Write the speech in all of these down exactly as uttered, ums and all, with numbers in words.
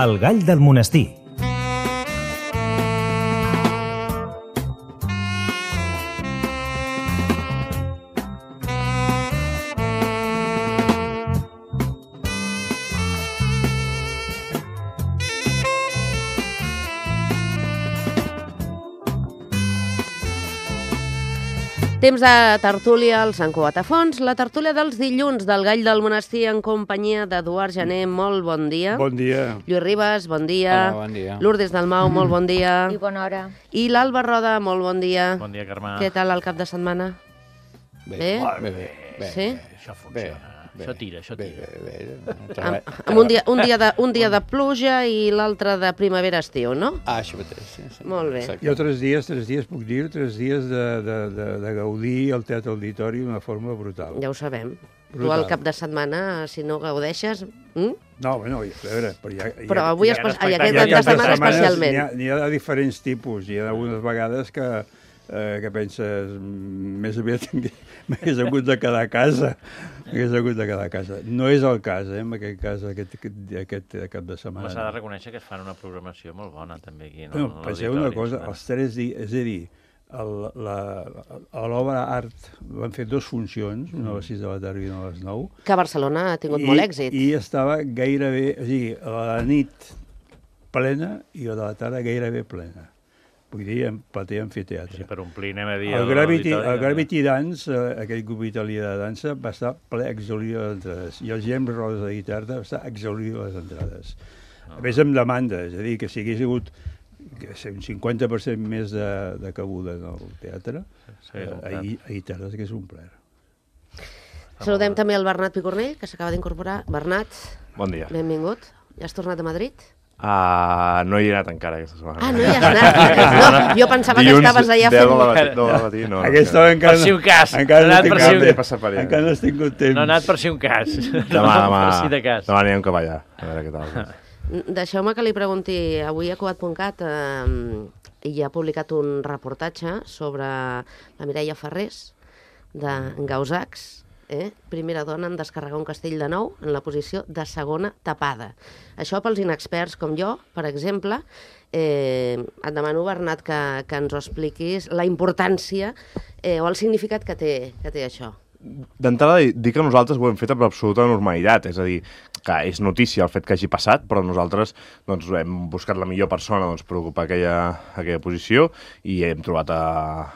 El gall del monestir. Temps de tertúlia al Sant Cugat a Fons, la tertúlia dels dilluns del Gall del Monestir en companyia d'Eduard Gené, molt bon dia. Bon dia. Lluís Ribas, bon dia. Hola, bon dia. Lourdes Dalmau, molt bon dia. I bona hora. I l'Alba Roda, molt bon dia. Bon dia, Carme. Què tal el cap de setmana? Bé, Bé? bé, bé. bé Sí? Això funciona. Bé, això tira, això bé, tira. bé, bé. Amb, amb un, dia, un, dia de, un dia de pluja i l'altre de primavera-estiu, no? Ah, això mateix, sí, sí. Molt bé. Exacte. Jo tres dies, tres dies puc dir, tres dies de, de, de, de gaudir el Teatre Auditori d'una forma brutal. Ja ho sabem. Tu Brutal. al cap de setmana, si no gaudeixes... Mm? No, bueno, a veure, però hi ha... hi ha- Però avui, hi ha- espe... hi ha i aquest hi ha cap de tantes setmana setmanes, especialment. N'hi ha, n'hi ha de diferents tipus. Hi ha algunes vegades que, eh, que penses "Mm, més aviat m'hagués hagut de quedar a casa. M'hagués hagut de quedar a casa. No és el cas, eh, en aquest cas, aquest, aquest, aquest cap de setmana. Home, s'ha de reconèixer que es fan una programació molt bona, també, aquí. No? Bueno, A penseu una l'auditori, cosa, bueno. els tres dies, és a dir, el, la, a l'obra Art van fer dues funcions, una a les sis de la tarda i una a les nou, Que Barcelona ha tingut molt èxit. I estava gairebé, o sigui, la nit plena i la de la tarda gairebé plena. Vull dir, en platea amfiteatre. Sí, per omplir, anem a dir... El Gravity, l'auditori, el Gravity Dance, eh, aquell grup italià de dansa, va estar ple exhaurido de les entrades. I el James Rose de guitarra va estar exhaurido de les entrades. A més, amb demanda, és a dir, que si hagués hagut que sé, un cinquanta per cent més de, de cabuda en el teatre, Sí, eh, és un ahir, ahir tarda que és un plaer. Saludem també el Bernat Picornell, que s'acaba d'incorporar. Bernat, Bon dia. benvingut. Ja has tornat a Madrid? Uh, no hi he anat encara aquesta setmana. Ah, no hi has anat? No, jo pensava que estaves allà deu fent... de la matí, deu de la matí, no. Aquesta no, encara, Per si un cas. encara Ha no anat tinc per si un temps. cas. Per Encara no has tingut temps. No ha anat per si un cas. Demà, demà, Per si de cas. demà anirem cap allà, a veure què tal. Deixeu-me que li pregunti, avui a Cugat punt cat eh, hi ha publicat un reportatge sobre la Mireia Ferrés, de Gausacs, eh? primera dona en descarregar un castell de nou en la posició de segona tapada. Això pels inexperts com jo, per exemple, eh, et demano, Bernat, que, que ens ho expliquis, la importància eh, o el significat que té, que té això. D'entrada, dir que nosaltres ho hem fet amb absoluta normalitat, és a dir, que és notícia el fet que hagi passat, però nosaltres doncs, hem buscat la millor persona doncs, per ocupar aquella, aquella posició i hem trobat a,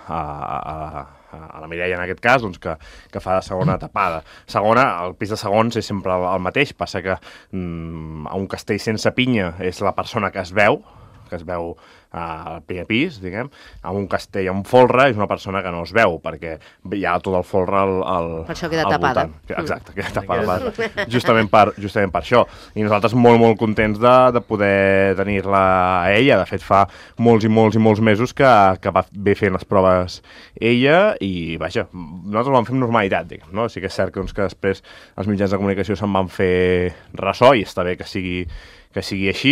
a, a, a la Mireia, en aquest cas, doncs, que, que fa de segona tapada. Segona, el pis de segons és sempre el, el mateix, passa que mm, a un castell sense pinya és la persona que es veu, que es veu al primer pis, diguem, amb un castell amb folre és una persona que no es veu, perquè hi ha tot el folre al, al Per això queda al tapada. voltant. Exacte, queda tapada per, justament, per, justament per això. I nosaltres molt, molt contents de, de poder tenir-la a ella. De fet, fa molts i molts i molts mesos que, que va bé fent les proves ella i, vaja, nosaltres ho vam fer amb normalitat, diguem, no? Sí que és cert que, doncs, que després els mitjans de comunicació se'n van fer ressò i està bé que sigui que sigui així.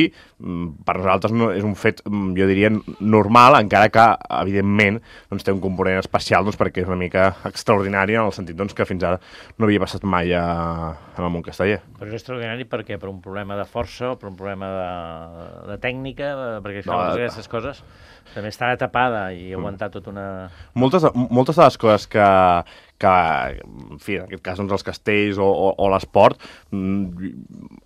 Per nosaltres no, és un fet, jo diria, normal, encara que, evidentment, doncs, té un component especial doncs, perquè és una mica extraordinari en el sentit doncs, que fins ara no havia passat mai a, en el món casteller. Però és extraordinari perquè per un problema de força o per un problema de, de tècnica, perquè No, no, de- aquestes coses, també està tapada i aguantar tota una... Moltes, moltes de les coses que, que en fi, en aquest cas, doncs, els castells o, o, o l'esport,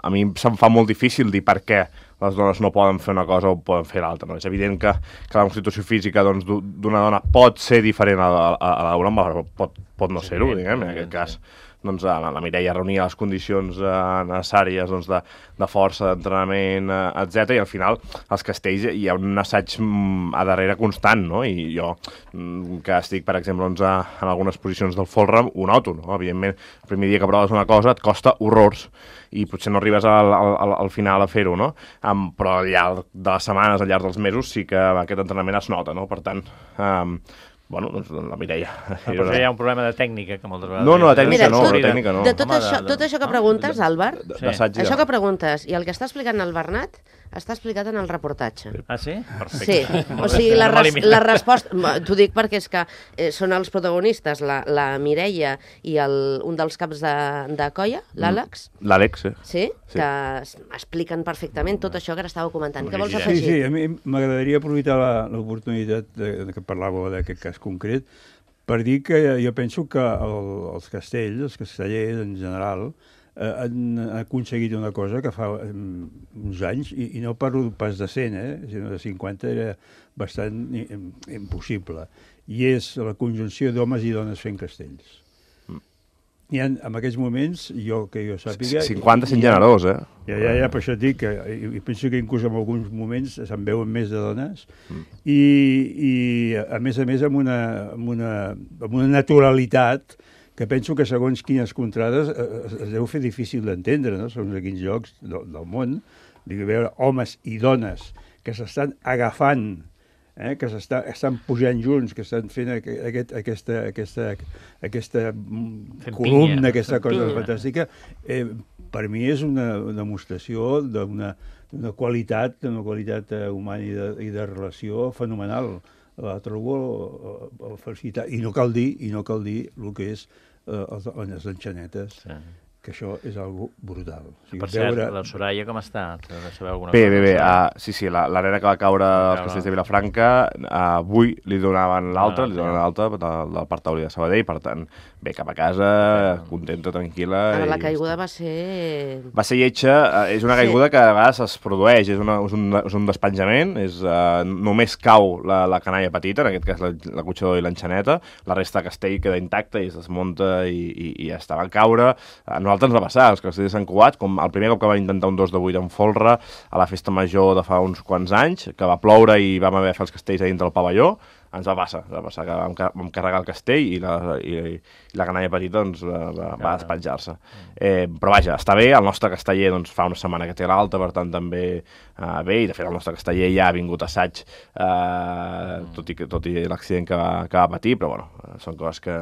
a mi se'm fa molt difícil dir per què les dones no poden fer una cosa o poden fer l'altra. No? És evident que, que la constitució física doncs, d'u- d'una dona pot ser diferent a, a, a la d'una, però pot, pot no Sí, ser-ho, evident, diguem, en evident, aquest cas. Doncs, la, la Mireia reunia les condicions eh, necessàries doncs, de, de força, d'entrenament, eh, etcètera. I al final, als castells hi ha un assaig mm, a darrere constant, no? I jo, mm, que estic, per exemple, doncs, a, en algunes posicions del folre, ho noto, no? Evidentment, el primer dia que proves una cosa et costa horrors i potser no arribes al, al, al final a fer-ho, no? Um, però al llarg de les setmanes, al llarg dels mesos, sí que aquest entrenament es nota, no? Per tant, um, bueno, doncs la Mireia. Ah, però això hi ha un problema de tècnica, que moltes vegades... No, no, la tècnica Mira, no, tot- la tècnica no. De tot, Home, això, de- tot això que preguntes, Àlvar, D- Sí. d'assaig i això de- que preguntes i el que està explicant el Bernat està explicat en el reportatge. Ah, sí? Perfecte. Sí, o sigui, la, res, la resposta... T'ho dic perquè és que eh, són els protagonistes, la, la Mireia i el, un dels caps de, de colla, l'Àlex, L'Àlex, sí. sí? Sí. Que es- expliquen perfectament tot això que ara estàveu comentant. Què vols Sí, afegir? sí, a mi m'agradaria aprofitar la- l'oportunitat de, de que parlàveu d'aquest cas concret per dir que jo penso que el, els castells, els castellers en general, eh, han aconseguit una cosa que fa eh, uns anys, i, i no parlo pas de cent, eh, sinó de cinquanta, era bastant i- impossible, i és la conjunció d'homes i dones fent castells. Hi ha, en aquests moments, jo que jo sàpiga... cinquanta sent hi ha- generós, eh? Ja, ja, ja, per això et dic que i, i penso que inclús en alguns moments se'n veuen més de dones mm. i, i a més a més amb una, amb una, amb una naturalitat que penso que segons quines contrades eh, es, es deu fer difícil d'entendre, no? Segons a quins llocs del, del món, dic, veure homes i dones que s'estan agafant, eh, que s'estan estan pujant junts, que estan fent aquest, aquesta, aquesta, aquesta Fent columna, pinya. aquesta cosa Pinya. fantàstica, eh, per mi és una, una demostració d'una d'una qualitat, d'una qualitat eh, humana i de, i de relació fenomenal. La trobo eh, eh, felicitar. I no cal dir, i no cal dir el que és eh, els, les enxanetes, Sí. que això és algo brutal. O sigui, Per cert, veure... la Soraya com està? T'heu de saber alguna Bé, cosa? bé, bé. Soraya? Uh, sí, sí, la, la nena que va caure als Caure. castells de Vilafranca, uh, avui li donaven l'alta, Ah, li donaven sí. l'alta del, del Parc Taulí de Sabadell, per tant, bé, cap a casa, contenta, tranquil·la. Ara, la i caiguda ja va ser... està. Va ser lletja, uh, és una Sí. caiguda que a vegades es produeix, és, una, és, un, és un despenjament, és, uh, només cau la, la canalla petita, en aquest cas la, la cotxador i l'enxaneta, la resta de castell queda intacta i es desmunta i, i, i ja està. Va caure, a nosaltres ens va passar, els castells de Sant Cugat, com el primer cop que vam intentar un dos de vuit en folre a la festa major de fa uns quants anys, que va ploure i vam haver de fer els castells a dintre del pavelló, ens va passar, ens va passar que vam, ca- vam carregar el castell i la, i, i la canalla petita doncs, va, va, va despenjar-se. Eh, però vaja, està bé, el nostre casteller doncs, fa una setmana que té l'alta, per tant també eh, bé, i de fet el nostre casteller ja ha vingut a assaig, eh, tot i, que- tot i l'accident que, va, que va patir, però bueno, eh, són coses que,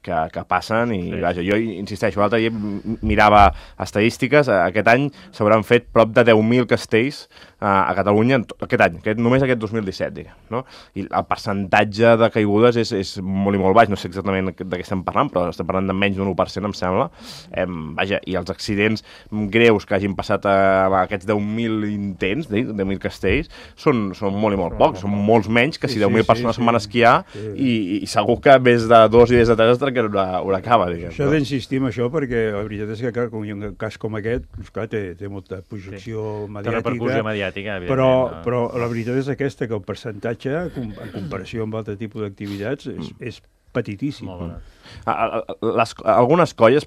que, que passen i Sí. vaja, jo insisteixo, l'altre dia m- mirava estadístiques, eh, aquest any s'hauran fet prop de deu mil castells eh, a Catalunya, en to- aquest any, aquest, només aquest dos mil disset, diguem, no? I el percentatge de caigudes és, és molt i molt baix, no sé exactament de què estem parlant, però estem parlant de menys d'un u per cent, em sembla. Eh, vaja, i els accidents greus que hagin passat a, a aquests deu mil intents, dic, deu mil castells, són, són molt i molt pocs, són molts menys que si Sí, deu mil sí, persones sí, se'n van a sí. esquiar Sí. i, i segur que més de dos i més de tres es trenquen una, una cava, diguem. Això d'insistir en això, perquè la veritat és que, clar, com hi ha un cas com aquest, doncs, clar, té, té molta projecció Té mediàtica, repercussió mediàtica, però, evidentment. no? però la veritat és aquesta, que el percentatge, com- en comparació amb altre tipus d'activitats, és, és petitíssim. Molt bé. A, a, a- les, algunes colles,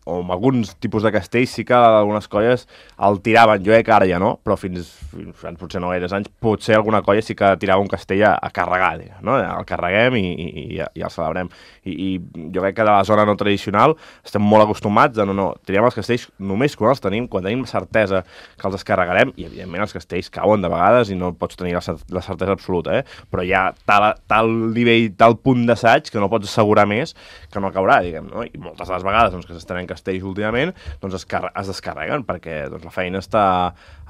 o amb alguns tipus de castells, sí que algunes colles el tiraven, jo crec que ara ja no, però fins, fins, fins potser no gaires anys, potser alguna colla sí que tirava un castell a, a carregar, diguem, no? El carreguem i, i, i, i el celebrem. I, I jo crec que de la zona no tradicional estem molt acostumats a no, no, tirem els castells només quan els tenim, quan tenim certesa que els descarregarem, i evidentment els castells cauen de vegades i no pots tenir la, cer- la certesa absoluta, eh? Però hi ha tal, tal nivell, tal punt d'assaig que no pots assegurar més que no caurà, diguem, no? I moltes de les vegades doncs, que s'estenen castells últimament doncs es, car es descarreguen perquè doncs, la feina està,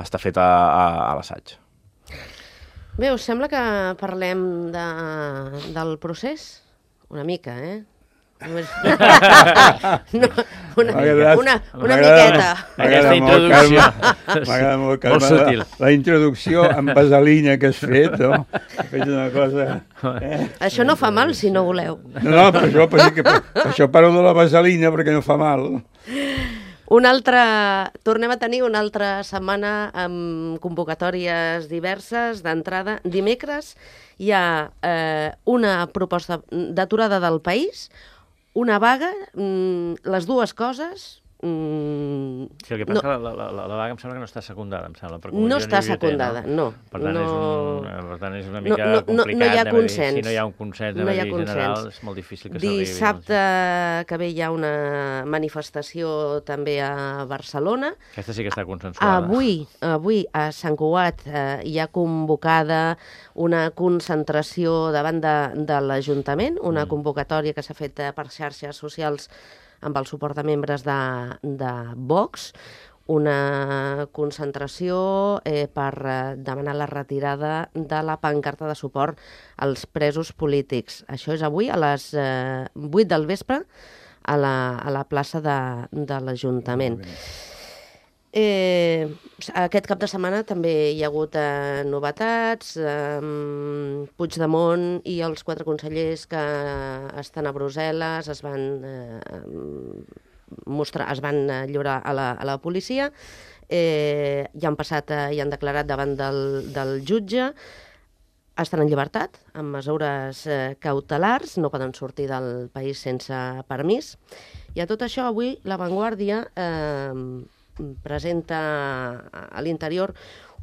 està feta a, a l'assaig. Bé, us sembla que parlem de, del procés? Una mica, eh? Només... no, una, M'ha agradat- una, m'ha una agradat- miqueta. m'ha Aquesta agradat molt, introducció. Carme. M'agrada molt, Carme, Molt sutil. La, la introducció amb vaselina que has fet, no? Has fet una cosa... Eh? Això no fa mal, si no voleu. No, no, per això, per, per, per això parlo de la vaselina, perquè no fa mal. Una altra... Tornem a tenir una altra setmana amb convocatòries diverses d'entrada. Dimecres hi ha eh, una proposta d'aturada del país, una vaga, mm, les dues coses Mm, Sí, el que passa no. que la, la, la, la vaga em sembla que no està secundada, em sembla. Per no està secundada, no. Per tant, no. És un, per tant, és una mica no, no, complicat. No hi ha consens. Si no hi ha un consens no a hi ha nivell general, consens. és molt difícil que s'arribi. Dissabte que ve hi ha una manifestació també a Barcelona. Aquesta sí que està consensuada. Avui, avui a Sant Cugat eh, hi ha convocada una concentració davant de, de l'Ajuntament, una mm. convocatòria que s'ha fet per xarxes socials amb el suport de membres de, de Vox, una concentració eh, per eh, demanar la retirada de la pancarta de suport als presos polítics. Això és avui a les eh, vuit del vespre a la, a la plaça de, de l'Ajuntament. Eh, aquest cap de setmana també hi ha hagut eh, novetats. Eh, Puigdemont i els quatre consellers que estan a Brussel·les es van eh, mostrar, es van lliurar a la, a la policia. Eh, ja han passat, eh, ja han declarat davant del, del jutge. Estan en llibertat, amb mesures eh, cautelars, no poden sortir del país sense permís. I a tot això, avui, La Vanguardia eh, presenta a l'interior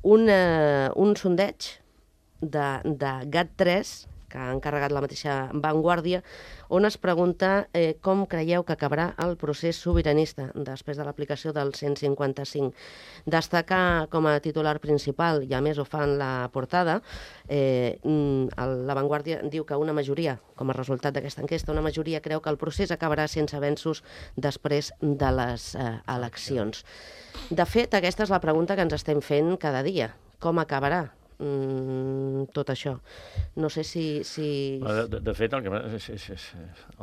un, eh, un sondeig de, de GAT tres, que ha encarregat la mateixa Vanguardia, on es pregunta eh, com creieu que acabarà el procés sobiranista després de l'aplicació del cent cinquanta-cinc. Destaca com a titular principal, i a més ho fa en la portada, eh, la Vanguardia diu que una majoria, com a resultat d'aquesta enquesta, una majoria creu que el procés acabarà sense avenços després de les eh, eleccions. De fet, aquesta és la pregunta que ens estem fent cada dia. Com acabarà Mm, tot això? No sé si... si... De, de, de fet, el, que, és, és, és,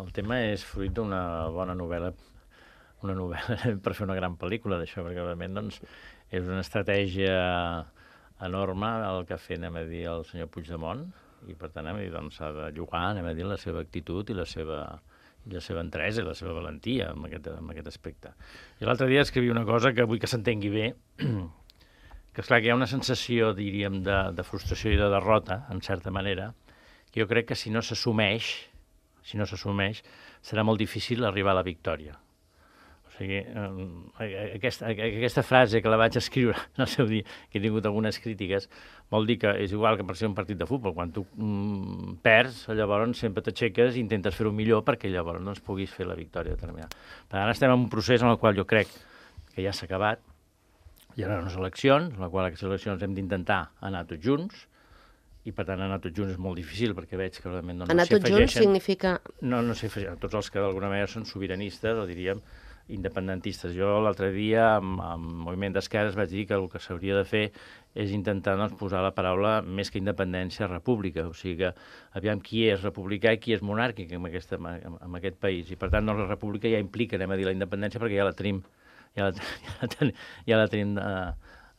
el tema és fruit d'una bona novel·la, una novel·la per fer una gran pel·lícula d'això, perquè realment doncs, és una estratègia enorme el que ha fet, anem a dir, el senyor Puigdemont, i per tant, anem a dir, doncs, s'ha de llogar, anem a dir, la seva actitud i la seva, i la seva entresa i la seva valentia en aquest, en aquest aspecte. I l'altre dia escrivia una cosa que vull que s'entengui bé, que és clar que hi ha una sensació, diríem, de, de frustració i de derrota, en certa manera, que jo crec que si no s'assumeix, si no s'assumeix, serà molt difícil arribar a la victòria. O sigui, eh, aquesta, aquesta frase que la vaig escriure en el seu dia, que he tingut algunes crítiques, vol dir que és igual que per ser un partit de futbol. Quan tu mm, perds, llavors sempre t'aixeques i intentes fer-ho millor perquè llavors doncs, puguis fer la victòria determinada. Per tant, estem en un procés en el qual jo crec que ja s'ha acabat. Hi ha unes eleccions, en la qual aquestes eleccions hem d'intentar anar tots junts, i per tant anar tots junts és molt difícil, perquè veig que realment no, no anar tots junts significa... No, no s'hi afegeixen, tots els que d'alguna manera són sobiranistes, o diríem independentistes. Jo l'altre dia, amb, amb Moviment d'Esquerres, vaig dir que el que s'hauria de fer és intentar doncs, posar la paraula més que independència, república. O sigui que aviam qui és republicà i qui és monàrquic en, aquesta, en aquest país. I per tant doncs, la república ja implica, anem a dir, la independència, perquè ja la tenim ja la, ja la, ten, ja la tenim eh,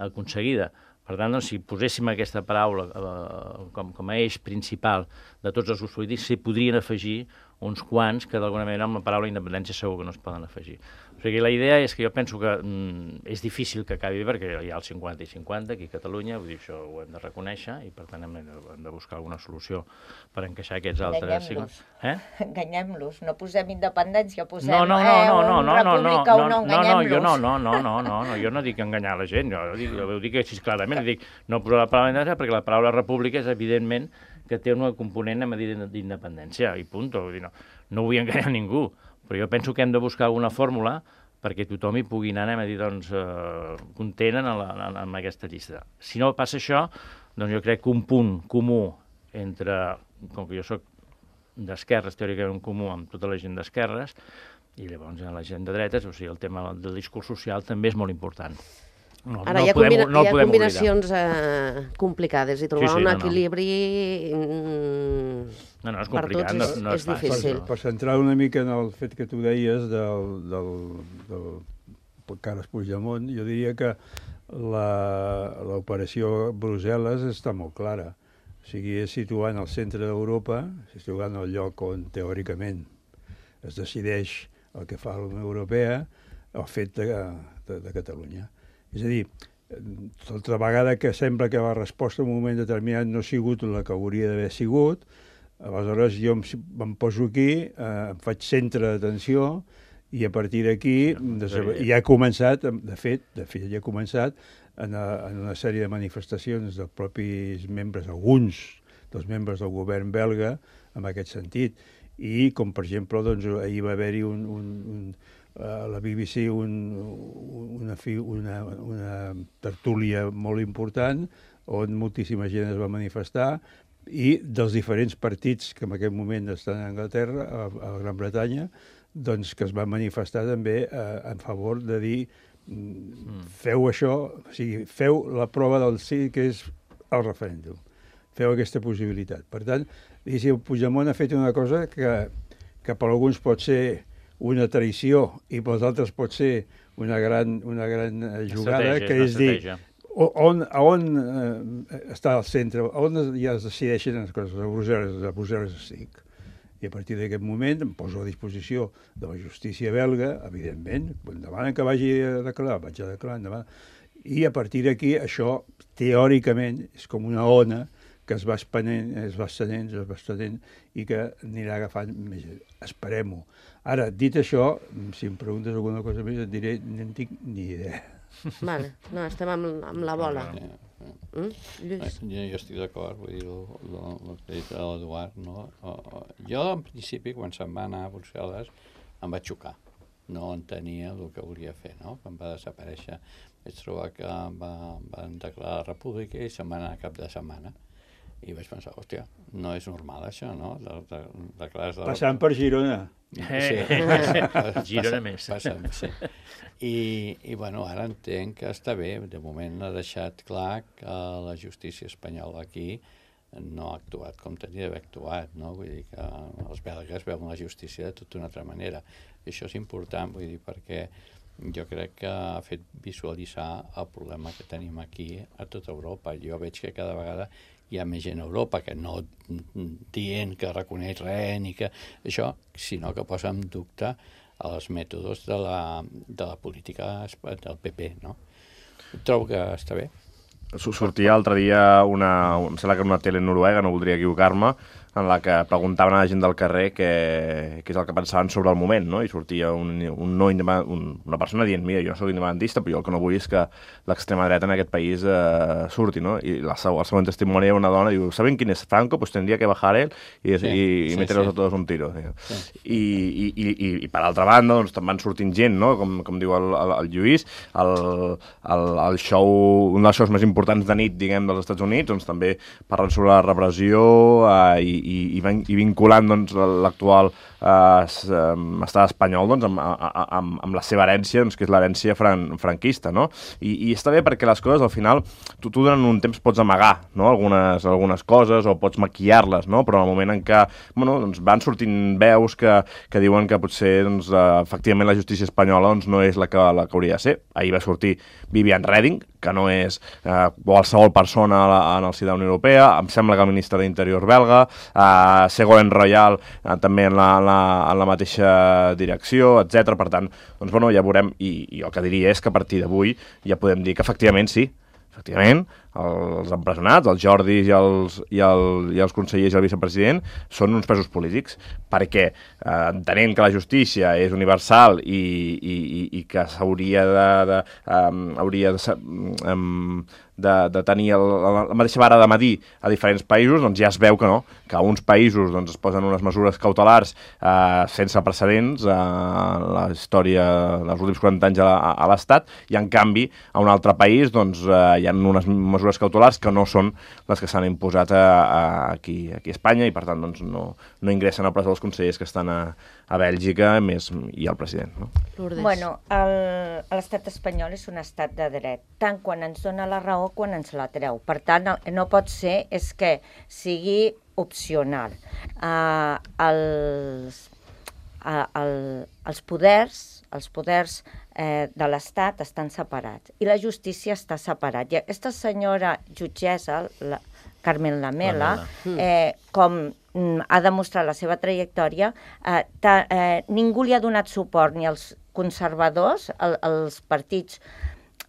aconseguida. Per tant, doncs, si poséssim aquesta paraula eh, com, com a eix principal de tots els grups polítics, s'hi podrien afegir uns quants que d'alguna manera amb la paraula independència segur que no es poden afegir. O sigui, la idea és que jo penso que mm, és difícil que acabi perquè hi ha el cinquanta i cinquanta aquí a Catalunya, vull dir, això ho hem de reconèixer i per tant hem de, hem de buscar alguna solució per encaixar aquests altres... Enganyem-los. Eh? Enganyem-los, no posem independència, posem no, no, no, eh, no, no, un no, república no, o no, no, no, jo enganyem-los. no, no, no, no, no, no, jo no dic enganyar la gent, jo dic, jo dic així clarament, dic no posar la paraula independència perquè la paraula república és evidentment que té un component a dir d'independència, i punt. Vull dir, no, no vull enganyar ningú, però jo penso que hem de buscar alguna fórmula perquè tothom hi pugui anar, anem a dir, doncs, eh, content en, la, en, en aquesta llista. Si no passa això, doncs jo crec que un punt comú entre, com que jo soc d'esquerres, teòricament comú amb tota la gent d'esquerres, i llavors la gent de dretes, o sigui, el tema del discurs social també és molt important. No, Ara, no hi ha, podem, combina no hi ha combinacions eh, complicades i trobar sí, sí, un no, equilibri no. No, no, és per complicat, tots no, és, no és, és difícil. Per, per centrar una mica en el fet que tu deies del, del, del Carles Puigdemont, jo diria que l'operació Brussel·les està molt clara. O sigui, és situant al centre d'Europa, situant el lloc on teòricament es decideix el que fa la Unió Europea, el fet de, de, de Catalunya. És a dir, altra vegada que sembla que la resposta en un moment determinat no ha sigut la que hauria d'haver sigut, aleshores jo em, em poso aquí, eh, em faig centre d'atenció I a partir d'aquí ja ha començat, de fet, de fet ja ha començat en, a, en una sèrie de manifestacions dels propis membres, alguns dels membres del govern belga, en aquest sentit. I, com per exemple, doncs, ahir va haver-hi un, un, un, a la B B C un, una, una, una tertúlia molt important on moltíssima gent es va manifestar i dels diferents partits que en aquest moment estan a Anglaterra, a, a Gran Bretanya, doncs que es van manifestar també eh, en favor de dir mm. feu això, o sigui, feu la prova del sí, que és el referèndum. Feu aquesta possibilitat. Per tant, diguéssim, Puigdemont ha fet una cosa que, que per alguns pot ser una traïció i pels altres pot ser una gran, una gran jugada, estratègia, que és dir, on, on eh, està al centre, on ja es decideixen les coses, a Brussel·les, a Brussel·les estic. I a partir d'aquest moment em poso a disposició de la justícia belga, evidentment, quan demanen que vagi a declarar, vaig a declarar endavant. I a partir d'aquí això, teòricament, és com una ona que es va espanent, es va estenent, es va estenent i que anirà agafant més. Esperem-ho. Ara, dit això, si em preguntes alguna cosa més, et diré, no en tinc ni idea. Vale, no, estem amb, amb la bola. Ja, ja. Mm? Lluís? Jo, jo estic d'acord, vull dir, el, el, el que ha dit l'Eduard, no? Jo, en principi, quan se'n va anar a Brussel·les, em va xocar. No entenia el que volia fer, no? Quan va desaparèixer, vaig trobar que va, van declarar la república i se'n va anar cap de setmana. I vaig pensar, hòstia, no és normal això, no? De, de, de clars de... Passant per Girona. Sí, passa, Girona més. Passa, sí. I, I, bueno, ara entenc que està bé. De moment ha deixat clar que la justícia espanyola aquí no ha actuat com tenia d'haver actuat, no? Vull dir que els belgues veuen la justícia de tota una altra manera. I això és important, vull dir, perquè jo crec que ha fet visualitzar el problema que tenim aquí a tota Europa. Jo veig que cada vegada hi ha més gent a Europa que no dient que reconeix res ni que això, sinó que posa en dubte els mètodes de la, de la política del P P, no? Trobo que està bé. Sortia l'altre dia una, em sembla que era una tele noruega, no voldria equivocar-me, en la que preguntaven a la gent del carrer què, què és el que pensaven sobre el moment, no? I sortia un, un no un, una persona dient, mira, jo no soc independentista, però jo el que no vull és que l'extrema dreta en aquest país eh, surti, no? I la, el següent testimoni era una dona, diu, ¿saben quién es Franco? Pues tendría que bajar él y, sí, y, y sí, meterlos sí. a todos un tiro. Sí. I, i, i, I per altra banda, doncs, van sortint gent, no? Com, com diu el, el, el Lluís, el, el, el show, un dels shows més importants de nit, diguem, dels Estats Units, doncs també parlen sobre la repressió eh, i, i, i, i vinculant doncs, l'actual eh, estat espanyol doncs, amb, amb, amb la seva herència, doncs, que és l'herència fran, franquista, no? I, I està bé perquè les coses, al final, tu, tu durant un temps pots amagar, no? algunes, algunes coses o pots maquillar-les, no? Però en el moment en què bueno, doncs, van sortint veus que, que diuen que potser doncs, uh, efectivament la justícia espanyola doncs, no és la que, la que hauria de ser. Ahir va sortir Vivian Reding, que no és eh, qualsevol persona a la, en el si de la Unió Europea, em sembla que el ministre d'Interior belga, eh, Ségolène Royal eh, també en la, en, la, en la mateixa direcció, etcètera. Per tant, doncs, bueno, ja veurem, i, i el que diria és que a partir d'avui ja podem dir que efectivament sí, efectivament, els empresonats, els Jordis i els, i, el, i els consellers i el vicepresident són uns presos polítics, perquè eh, entenent que la justícia és universal i, i, i que s'hauria de, de, um, hauria de, um, de, de tenir el, la, la mateixa vara de medir a diferents països, doncs ja es veu que no, que a uns països doncs, es posen unes mesures cautelars eh, sense precedents a eh, la història dels últims quaranta anys a, a, a l'Estat, i en canvi a un altre país doncs, eh, hi ha unes mesures cautelars que no són les que s'han imposat a, a, aquí, aquí a Espanya, i per tant doncs, no, no ingressen a presó els consellers que estan a, a Bèlgica més, i el president. No? Bueno, l'estat espanyol és un estat de dret, tant quan ens dona la raó quan ens la treu. Per tant, no pot ser és que sigui opcional. Uh, els, uh, el, els poders, els poders eh, de l'Estat estan separats i la justícia està separada. I aquesta senyora jutgessa, la Carmen Lamela, eh, com mm, ha demostrat la seva trajectòria, eh, ta, eh, ningú li ha donat suport, ni als conservadors, el, els partits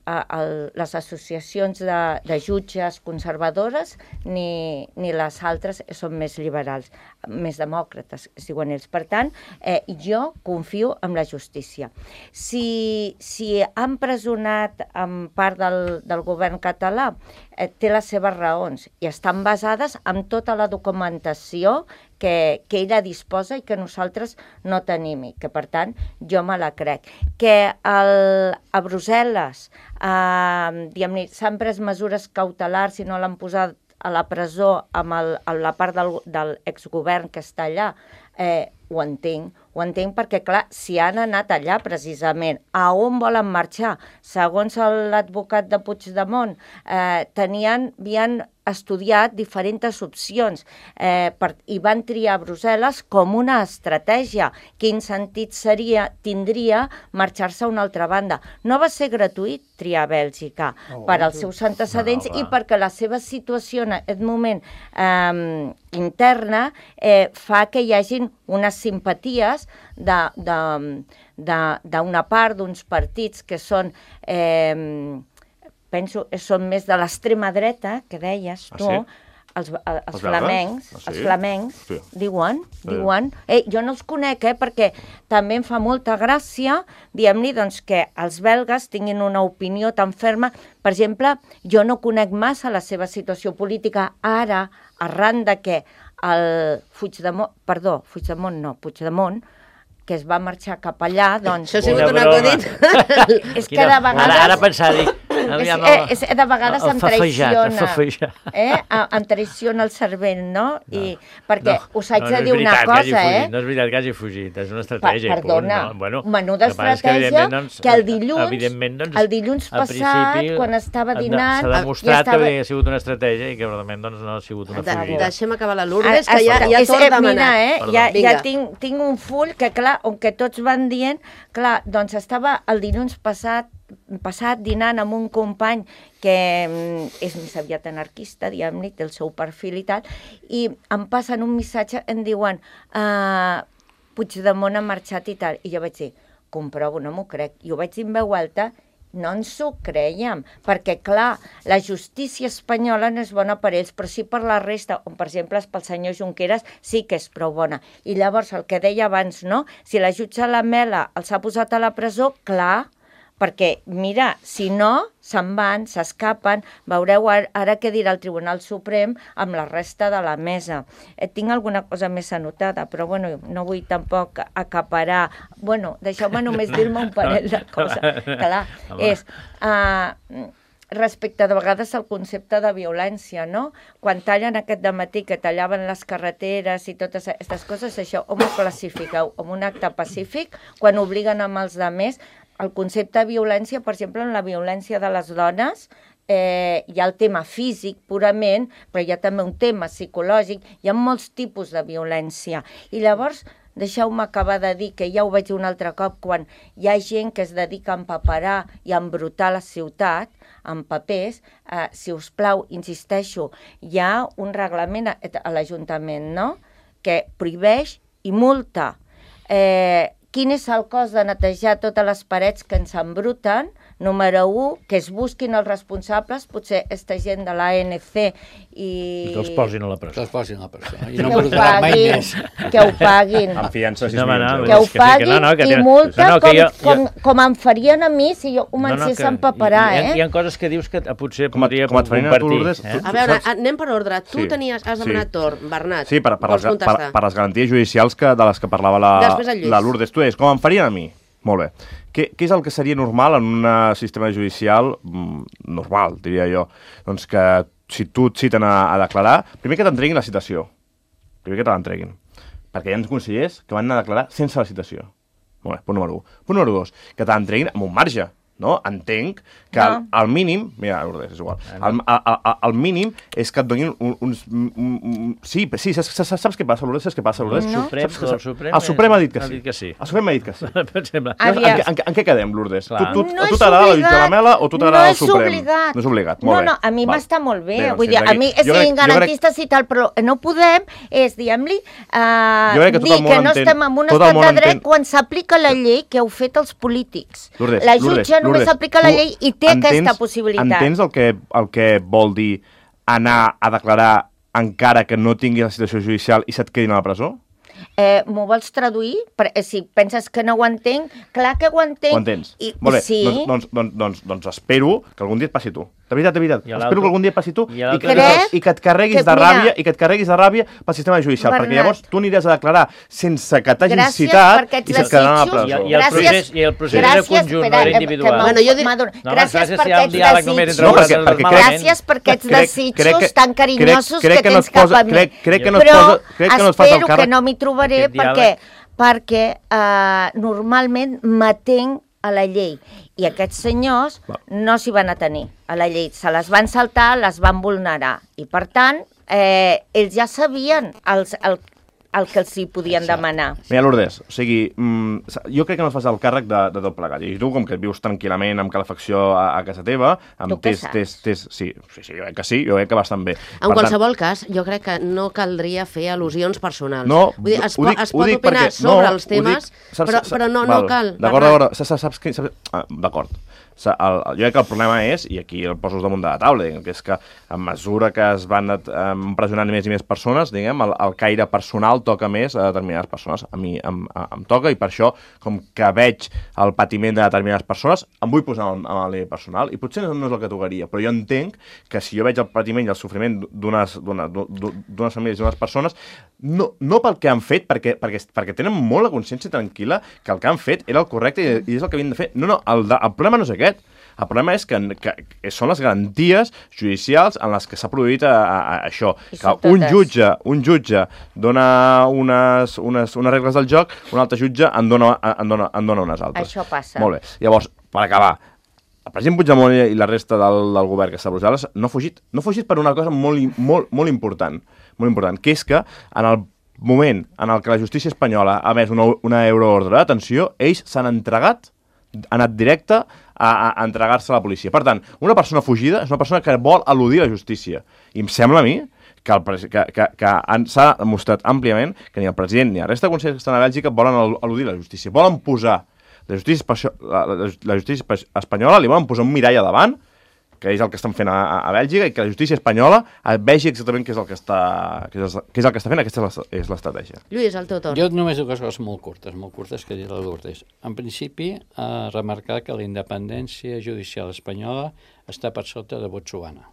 a, a, les associacions de, de jutges conservadores ni, ni les altres són més liberals, més demòcrates, es diuen ells. Per tant, eh, jo confio en la justícia. Si, si han presonat en part del, del govern català, eh, té les seves raons i estan basades en tota la documentació que, que ella disposa i que nosaltres no tenim, i que, per tant, jo me la crec. Que el, a Brussel·les eh, s'han pres mesures cautelars i no l'han posat a la presó amb, el, amb la part del, del exgovern que està allà, eh, ho entenc, ho entenc perquè, clar, si han anat allà precisament, a on volen marxar? Segons l'advocat de Puigdemont, eh, tenien, havien estudiat diferents opcions eh, per, i van triar Brussel·les com una estratègia. Quin sentit seria, tindria marxar-se a una altra banda? No va ser gratuït triar Bèlgica oh, per als seus antecedents no, i perquè la seva situació en aquest moment eh, interna eh, fa que hi hagin unes simpaties d'una part d'uns partits que són... Eh, penso, són més de l'extrema dreta, que deies tu, ah, sí? els, els, els flamencs, ah, sí? els flamencs sí. diuen, sí. diuen... Eh, jo no els conec, eh, perquè també em fa molta gràcia, diguem-li, doncs, que els belgues tinguin una opinió tan ferma. Per exemple, jo no conec massa la seva situació política ara, arran de que el Puigdemont, perdó, Puigdemont no, Puigdemont, que es va marxar cap allà, doncs... Això ha sigut un acudit. És que de vegades... Ara, ara pensar, dic... És, eh, és, de vegades em traiciona, eh? em traiciona el cervell, no? I, no perquè no, us haig no, no de dir una cosa, eh? No és veritat que hagi fugit, és una estratègia. Pa, perdona, punt, no? Bueno, menuda estratègia que, doncs, que el dilluns, doncs, el dilluns passat, quan estava dinant... S'ha demostrat estava... que havia sigut una estratègia i que realment doncs, no ha sigut una fugida. Deixem acabar la Lourdes, que ja, ja torna a demanar. Eh? Ja, ja tinc, tinc un full que, clar, on que tots van dient, clar, doncs estava el dilluns passat passat dinant amb un company que és més aviat anarquista, diguem-ne, té el seu perfil i tal, i em passen un missatge, em diuen uh, Puigdemont ha marxat i tal, i jo vaig dir, comprovo, no m'ho crec, i ho vaig dir en veu alta, no ens ho creiem, perquè clar, la justícia espanyola no és bona per ells, però sí per la resta, on per exemple pel senyor Junqueras sí que és prou bona. I llavors el que deia abans, no? Si la jutge Lamela els ha posat a la presó, clar, perquè, mira, si no, se'n van, s'escapen, veureu ara què dirà el Tribunal Suprem amb la resta de la mesa. Eh, tinc alguna cosa més anotada, però bueno, no vull tampoc acaparar... Bueno, deixeu-me només dir-me un parell de coses. Clar, és... Uh, respecte de vegades al concepte de violència, no? Quan tallen aquest dematí que tallaven les carreteres i totes aquestes coses, això on ho classifiqueu? Com un acte pacífic? Quan obliguen amb els altres? El concepte de violència, per exemple, en la violència de les dones, eh, hi ha el tema físic purament, però hi ha també un tema psicològic, hi ha molts tipus de violència. I llavors, deixeu-me acabar de dir, que ja ho veig un altre cop, quan hi ha gent que es dedica a empaperar i a embrutar la ciutat, amb papers, eh, si us plau, insisteixo, hi ha un reglament a, a l'Ajuntament, no?, que prohibeix i multa. Eh, quin és el cost de netejar totes les parets que ens embruten? Número un, que es busquin els responsables, potser aquesta gent de l'A N C i... I que els posin a la presó. Que els posin a la presó. I no embrutarà mai més. Que ho paguin. Amb fiança sis no, milions no, d'euros. Que ho paguin no, no, que i tenen... multa no, no, com, jo, com, jo... com em farien a mi si jo comencés no, no, a empaperar, hi, eh? Hi ha coses que dius que potser com podria com compartir. Lourdes, eh? A veure, anem per ordre. Tu sí, tenies, has demanat sí. torn, Bernat. Sí, per, per, les, per, per les garanties judicials que, de les que parlava la, la Lourdes. Tu deies, com em farien a mi? Molt bé. Què, què és el que seria normal en un sistema judicial mm, normal, diria jo? Doncs que si tu et citen a, a declarar, primer que t'entreguin la citació. Primer que te l'entreguin. Perquè hi ha consellers que van anar a declarar sense la citació. Molt bé, punt número un. Punt número dos, que te l'entreguin amb un marge. No? Entenc que no. al, al mínim... Mira, Lourdes, és igual. Al, al, al, al mínim és que et donin un, uns... Un, un, sí, sí, saps, saps què passa, Lourdes? Saps què passa, Lourdes? No. Suprem, saps, el, Suprem el Suprem ha dit que ha sí. dit que sí. El Suprem ha dit que sí. Per exemple. En, en, en, en què quedem, Lourdes? Clar. Tu, tu, no tu t'agrada la jutge Lamela o tu t'agrada no el Suprem? Obligat. No és obligat. No, Molt bé. no, a mi m'està molt bé. bé Vull dir, a mi és garantistes i tal, però no podem, és, diguem-li, uh, dir que no estem en un estat de dret quan s'aplica la llei que heu fet els polítics. La jutge només Lourdes, aplica la tu llei i té entens- aquesta possibilitat. Entens el que, el que vol dir anar a declarar encara que no tingui la situació judicial i se't quedin a la presó? Eh, M'ho vols traduir? Per, eh, si penses que no ho entenc, clar que ho entenc. Ho entens? I, Molt bé, sí. doncs, doncs, doncs, doncs, doncs espero que algun dia et passi a tu. De veritat, de veritat. I a Espero l'altre- que algun dia et passi a tu i i, a l'altre- que, Crec i que et carreguis que, de mira, ràbia i que et carreguis de ràbia pel sistema judicial, Bernat, perquè llavors tu aniràs a declarar sense que t'hagin gràcies citat per aquests i se't quedaran a la desitjos. I, presó. i, el Gràcies. procés, I el procés era Gràcies, conjunt, espera, no era eh, individual. que Bueno, jo dic- Maduro, No, home, gràcies gràcies per si hi ha un aquests diàleg només entre desitjos. No, perquè- vosaltres perquè malament. Gràcies per aquests Crec- desitjos crec que- tan carinyosos crec- crec que que no tens et posa- cap a mi. crec- crec que no et Però posa- crec que no et fas el espero que càrrec. no m'hi trobaré Aquest perquè, diàleg- perquè eh, normalment m'atenc a la llei. I aquests senyors Va. no s'hi van atenir a la llei. Se les van saltar, les van vulnerar. I, per tant, eh, ells ja sabien els, el, el que els hi podien Exacte. demanar. Mira, Lourdes, o sigui, mm, jo crec que no et fas el càrrec de, de tot plegat. I tu, com que vius tranquil·lament amb calefacció a, a casa teva, amb Tu què tes, saps? tes, tes, sí, sí, sí, jo crec que sí, jo crec que bastant bé. En qualsevol cas, jo crec que no caldria fer al·lusions personals. No, Vull dir, es, ho po dic- es ho pot dic opinar perquè- sobre no, els ho dic- temes, saps- però, saps- però no, val, no cal. D'acord, Bernat. d'acord, saps, saps, saps, saps, ah, d'acord. Sa- El, el, jo crec que el problema és, i aquí el poses damunt de la taula, diguem, que és que a mesura que es van eh, empresonant més i més persones, diguem, el, el caire personal toca més a determinades persones. A mi em, a, em toca, i per això, com que veig el patiment de determinades persones, em vull posar en, en el nivell personal, i potser no, no és el que tocaria, però jo entenc que si jo veig el patiment i el sofriment d'unes d'una- d'unes famílies, d'unes persones, no, no pel que han fet, perquè, perquè, perquè tenen molt la consciència tranquil·la que el que han fet era el correcte i, i és el que havien de fer. No, no, el, de, el problema no és aquest. El problema és que, que, que són les garanties judicials en les que s'ha produït a, a, a això. I Que són un totes. jutge, un jutge dona unes, unes, unes regles del joc, un altre jutge en dona, en dona, en dona unes altres. Això passa. Molt bé. Llavors, per acabar, el president Puigdemont i la resta del, del govern que està a Brussel·les no ha fugit. No ha fugit per una cosa molt, i- molt, molt important, molt important, que és que en el moment en el que la justícia espanyola ha emès una, una euroordre de detenció, ells s'han entregat, han anat directe a, a, a entregar-se a la policia. Per tant, una persona fugida és una persona que vol eludir la justícia. I em sembla a mi que, el, pres- que, que, que han- s'ha demostrat àmpliament que ni el president ni la resta de consellers que estan a Bèlgica volen el- eludir la justícia. Volen posar la justícia, espa- la, la, la justícia espa- espanyola, li volen posar un mirall a davant, que és el que estan fent a, a, a Bèlgica, i que la justícia espanyola vegi exactament què és el que està, què és, què és el que està fent. Aquesta és la- és l'estratègia. Lluís, el teu torn. Jo només dues coses molt curtes, molt curtes que dir la Lourdes. En principi, eh, remarcar que la independència judicial espanyola està per sota de Botswana.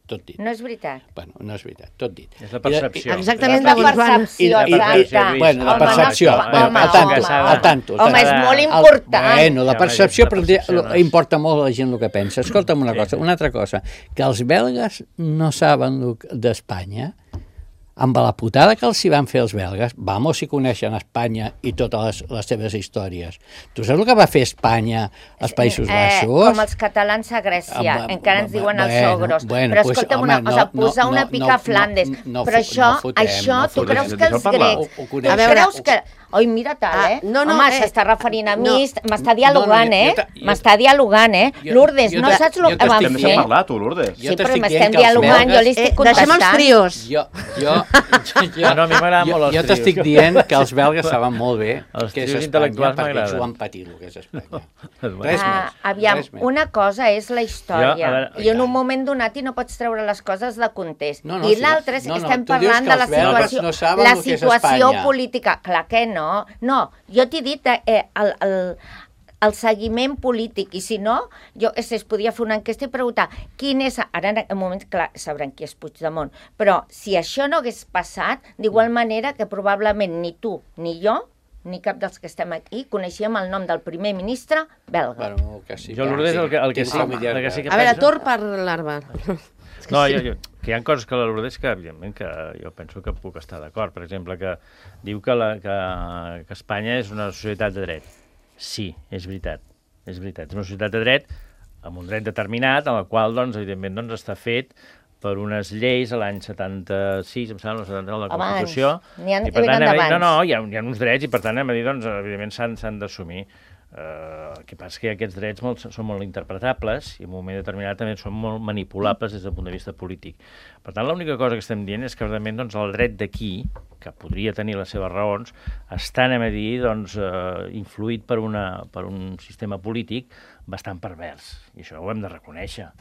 Tot dit. No és veritat. Bueno, no és veritat, tot dit. És la percepció. Exactament És de la Botswana. percepció, I- i- exacte. i- Bueno, la Home, percepció. no, Bueno, home, al tanto, home. al tanto. al Home, tanto. és molt El- important. Bueno, la Ja, percepció, la però percepció lo- no és- importa molt a la gent el que pensa. Escolta'm una cosa, una altra cosa, que els belgues no saben el que- d'Espanya, amb la putada que els hi van fer els belgues, vamos, si coneixen Espanya i totes les, les seves històries. Tu saps el que va fer Espanya als Països Eh, Baixos? com els catalans a Grècia, Ah, va- encara ens va- diuen els bueno, sogros. bueno, però pues, escolta'm home, una cosa, no, posar no, una no, pica no, a Flandes. no, no, però no això, fotem, això no tu fotem. creus que Deixa'l els parlar. grecs... Ho- ho Tu coneixen. A veure, creus que... Oi, mira tal, Ah, eh? no, no, Home, eh, s'està referint a mi, no. m'està dialogant, No, no, jo- eh? jo ta- jo- M'està dialogant, eh? jo- Lourdes, jo no ta- saps jo el que t'estic vam Hem fer? deixat parlar, tu, Lourdes. Jo Sí, però t'estic m'estem dient que els dialogant, jo belgues- li Eh, estic deixem els contestant. trios. Jo, jo, jo, Ah, no, a mi m'agraden jo, molt els jo trios. t'estic dient que els belgues saben molt bé Els què és trios Espanya, intel·lectuals perquè ells m'agraden. ho han patit, el que és Espanya. Bueno. Res Ah, més. aviam, res més. una cosa és la Jo, història, a veure, i en i un tant. moment donat i no pots treure les coses de context. No, no, I sí, l'altre és no, que no, estem tu dius parlant que de la els belgues situació, no saben la el que és situació Espanya. política. Clar que no. No, jo t'he dit eh, el, el, el seguiment polític, i si no, jo es, es podia fer una enquesta i preguntar quin és... Ara, en un moment, clar, sabran qui és Puigdemont, però si això no hagués passat, d'igual manera que probablement ni tu ni jo, ni cap dels que estem aquí, coneixíem el nom del primer ministre belga. Bueno, que sí, Jo, que Lourdes, sí. el que, el que, Tinc sí, familiars el que sí que A veure, penso- torn per l'arba. No, jo, jo, que hi ha coses que la Lourdes que, evidentment, que jo penso que puc estar d'acord. Per exemple, que diu que, la, que, que Espanya és una societat de dret. Sí, és veritat. És veritat. És una societat de dret amb un dret determinat, en el qual, doncs, evidentment, doncs, està fet per unes lleis a l'any setanta-sis, em sembla, el setanta, de la Abans. Constitució. N'hi ha- I, per tant, venen anem a dir, d'abans. no, no, hi ha, hi ha uns drets i, per tant, anem a dir, doncs, evidentment, s'han s'han d'assumir. Eh, el que passa és que aquests drets molt, són molt interpretables i en un moment determinat també són molt manipulables des del punt de vista polític. Per tant, l'única cosa que estem dient és que realment doncs, el dret d'aquí, que podria tenir les seves raons, està, anem a dir, doncs, eh, influït per, una, per un sistema polític bastant pervers. I això ho hem de reconèixer.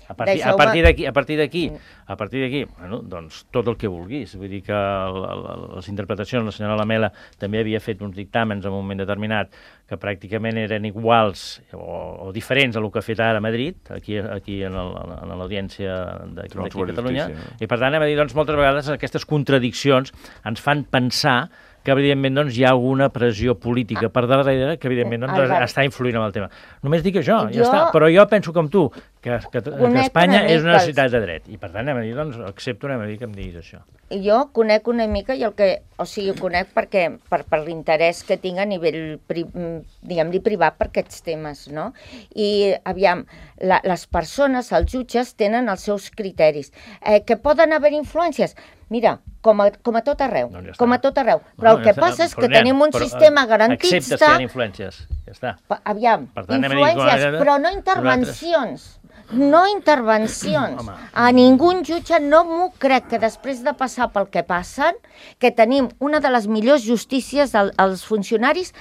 A partir, a partir d'aquí, a partir d'aquí, a partir d'aquí, bueno, doncs tot el que vulguis. Vull dir que el, el, les interpretacions, la senyora Lamela també havia fet uns dictàmens en un moment determinat que pràcticament eren iguals o, o diferents a el que ha fet ara a Madrid, aquí, aquí en l'audiència d'aquí a Catalunya, i per tant, hem de dir, doncs, moltes vegades aquestes contradiccions ens fan pensar que, evidentment, doncs, hi ha alguna pressió política per darrere que, evidentment, doncs, Albert, està influint en el tema. Només dic això, jo... ja està. Però jo penso com tu, que, que, que Espanya és una ciutat de dret. I, per tant, anem a dir, doncs, accepto, anem a dir que em diguis això. Jo conec una mica, i el que, o sigui, ho conec perquè, per, per l'interès que tinc a nivell, pri, diguem-li, privat per aquests temes, no? I, aviam, la, les persones, els jutges, tenen els seus criteris. Eh, que poden haver influències? Mira, com a, com a tot arreu, doncs ja com a tot arreu. Però no, el que ja passa és que tenim un però, sistema garantista... Acceptes que hi ha influències, ja està. Aviam, tant, influències, dir, però no intervencions. No intervencions. Home. A ningú jutge no m'ho crec que després de passar pel que passen, que tenim una de les millors justícies als funcionaris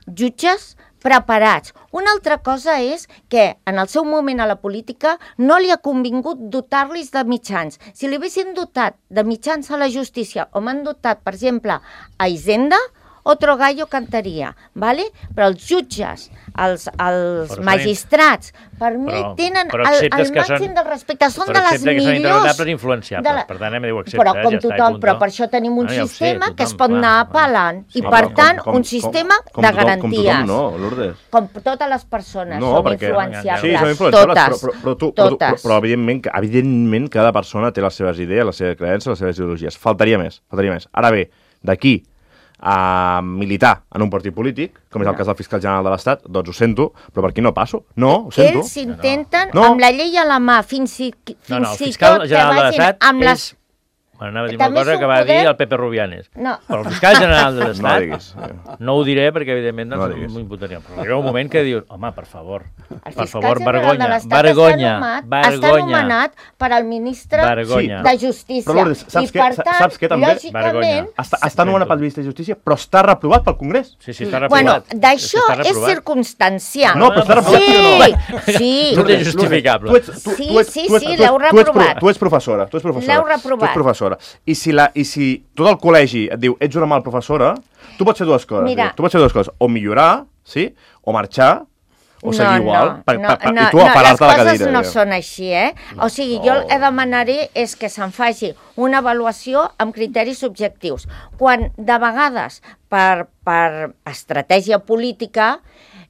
jutges preparats. Una altra cosa és que en el seu moment a la política no li ha convingut dotar-los de mitjans. Si li haguessin dotat de mitjans a la justícia, o m'han dotat, per exemple, a Hisenda, otro gallo cantaria, ¿vale? Però els jutges, els, els magistrats, per mi però, tenen però el, el màxim són, del respecte, són de les millors... Però accepta que són interpretables i influenciables, la... per tant, hem de dir, ho accepta, però com ja tothom, està, però per això tenim un ah, sistema sé, tothom, que es pot clar, anar apel·lant, sí, i per com, tant, com, un sistema com, com, de garanties. Com tothom no, Lourdes. Com totes les persones no, són perquè, influenciables, sí, són influenciables, totes, però, però, tu, totes. Però, però, evidentment, evidentment, cada persona té les seves idees, les seves creences, les seves ideologies. Faltaria més, faltaria més. Ara bé, d'aquí a militar en un partit polític, com és el cas del fiscal general de l'Estat, doncs ho sento, però per aquí no passo. No, ho sento. Ells intenten, no. amb la llei a la mà, fins i, fins no, no, i tot que vagin amb les... És... Bueno, anava a dir una cosa que va poder... dir el Pepe Rubianes. No. Però el fiscal general de l'Estat, no, diguis, eh. no ho diré perquè, evidentment, no m'ho imputaria. Però arriba un moment que dius, home, per favor, el per favor, vergonya, vergonya, vergonya. Està anomenat per al ministre vergonya. de Justícia. Però, Lourdes, saps, I, per tant, saps que també lògicament... Està, està anomenat pel ministre de Justícia, però està reprovat pel Congrés. Sí, sí, està reprovat. Bueno, d'això és circumstancial. No, però està reprovat. Sí, sí. No és justificable. Sí, sí, sí, l'heu reprovat. Tu ets professora, tu ets professora. L'heu reprovat. Tu ets professora. I si la I si tot el col·legi et diu ets una mal professora, tu pots fer dues coses. Mira, tu pots fer dues coses. O millorar, sí? O marxar, o seguir no, igual. No, pa, no, pa, pa, no, I tu a parar-te no, la cadira. Les coses no són així, eh? O sigui, jo el que demanaré és que se'n faci una avaluació amb criteris objectius. Quan, de vegades, per, per estratègia política...